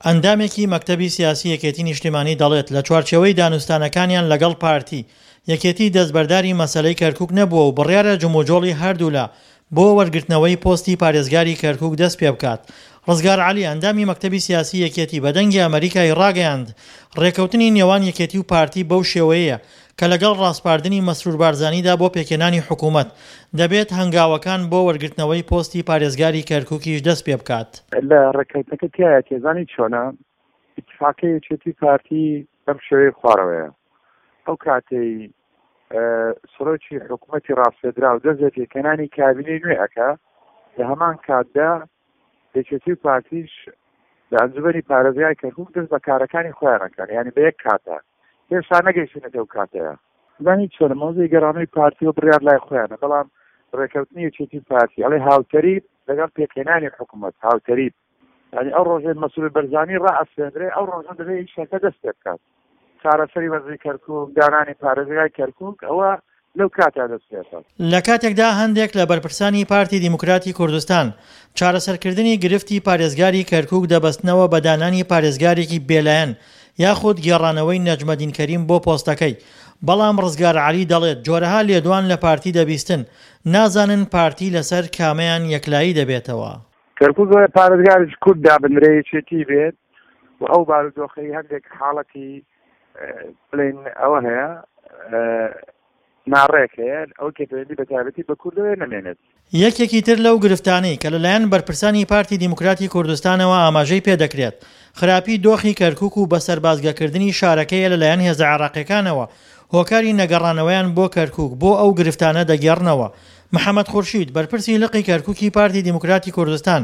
ئەندامێکی مەکتەبی سیاسی یەکێتی نیشتیمانی دەڵێت، لە چوارچێوەی دانوستانەکانیان لەگەڵ پارتی، یەکێتی دەستبەرداری مەسەلەی کەرکوک نەبووە و بڕیارە جموجۆڵی هەردوولا بۆ وەرگرتنەوەی پۆستی پارێزگاری کەرکوک دەست پێبکات. ڕزگار عەلی، ئەندامی مەکتەبی سیاسی یەکێتی بە دەنگی ئەمەریکای ڕاگەیاند، ڕێککەوتنی نێوان یەکێتی و پارتی بەو شێوەیەیە کە لەگەڵ ڕاسپاردنی مەسرور بارزانیدا بۆ پێکهێنانی حکومەت، دەبێت هەنگاوەکان بۆ وەرگرتنەوەی پۆستی پارێزگاری کەرکوکیش دەست پێبکات. لە ڕێککەوتنەکە تیایە زانی چۆنە ئیتفاقی یەکێتی پارتی بەم شێوەیە خوارەوەیە ئەو کاتەی سەرۆکی حکوومەتی ڕاستێدراو دەست لە پێکهێنانی کابینەی نوێ ئەکا لە هەمان کاتدا یەکێتی و پارتیش لە ئەنجومەنی پارێزگای کەرکوک دەست بە کارەکانی خۆیان ئەکەن یانی بە یەک کاتە هێشتا نەگەیشتونەتە ئەو کاتەیە. زانی چۆنە مەوزەی گەڕانەوەی پارتی و بڕیار لای خۆیانە بەڵام ڕێکەوتنی یەکێتی و پارتی ئەڵێ هاوتەریب لەگەڵ پێکهێنانی حکوومەت هاوتەریب یانی ئەو ڕۆژەی مەسرور بەرزانی ڕائەسپێندرێ ئەو ڕۆژە دەبێ ئیشەکە دەست پێ بکات چارەسەری وەزعی کەرکوک دانانی پارێزگای کەرکوک ئەوە لەو کاتە دەست پێ بکات. لە کاتێکدا هەندێک لە بەرپرسانی پارتی دیموکراتی کوردستان چارەسەرکردنی گرفتی پارێزگاری کەرکوک دەبەستنەوە بە دانانی پارێزگارێکی بێلایەن یاخود گێڕانەوەی نەجمەدین کەریم بۆ پۆستەکەی، بەڵام ڕزگار عەلی دەڵێت جۆرەها لێدوان لە پارتی دەبیستن، نازانن پارتی لەسەر کامەیان یەکلایی دەبێتەوە. کەرکوک وەرە پارێزگارێکی کورد دابنرێ یەکێتی بێت و ئەو بارودۆخەی هەندێک حاڵەتی بڵێن ئەوە هەیە ناڕێک هەیە ئەو کە پەیوەندی بە تایبەتی بە کوردەوە نەمێنێت. یەکێکی تر لەو گرفتانەی کە لەلایەن بەرپرسانی پارتی دیموکراتی کوردستانەوە ئاماژەی پێدەکرێت، خراپی دۆخی کەرکوک و بەسەربازگەکردنی شارەکەیە لەلایەن هێزە عێراقیەکانەوە، هۆکاری نەگەڕانەوەیان بۆ کەرکوک بۆ ئەو گرفتانە دەگێڕنەوە. محەمەد خورشید، بەرپرسی لقی کەرکوکی پارتی دیموکراتی کوردستان،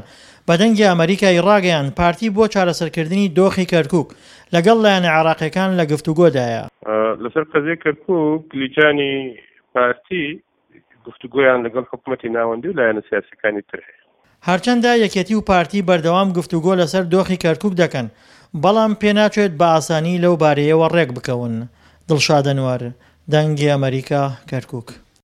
بە دەنگی ئەمەریکای ڕاگەیاند، پارتی بۆ چارەسەرکردنی دۆخی کەرکوک لەگەڵ لایەنە عێراقیەکان لە گفتوگۆدایە. لەسەر قەزیەی کەرکوک لیجانی پارتی گفتوگۆیان لەگەڵ حکومەتی ناوەندی و لایەنە سیاسیەکانی تر هەیە. هەرچەندە یەکێتی و پارتی بەردەوام گفتوگۆ لەسەر دۆخی کەرکوک دەکەن، بەڵام پێناچێت بە ئاسانی لەو بارەیەوە ڕێکبکەون. دڵشاد ئەنوەر، دەنگی ئەمەریکا، کەرکوک.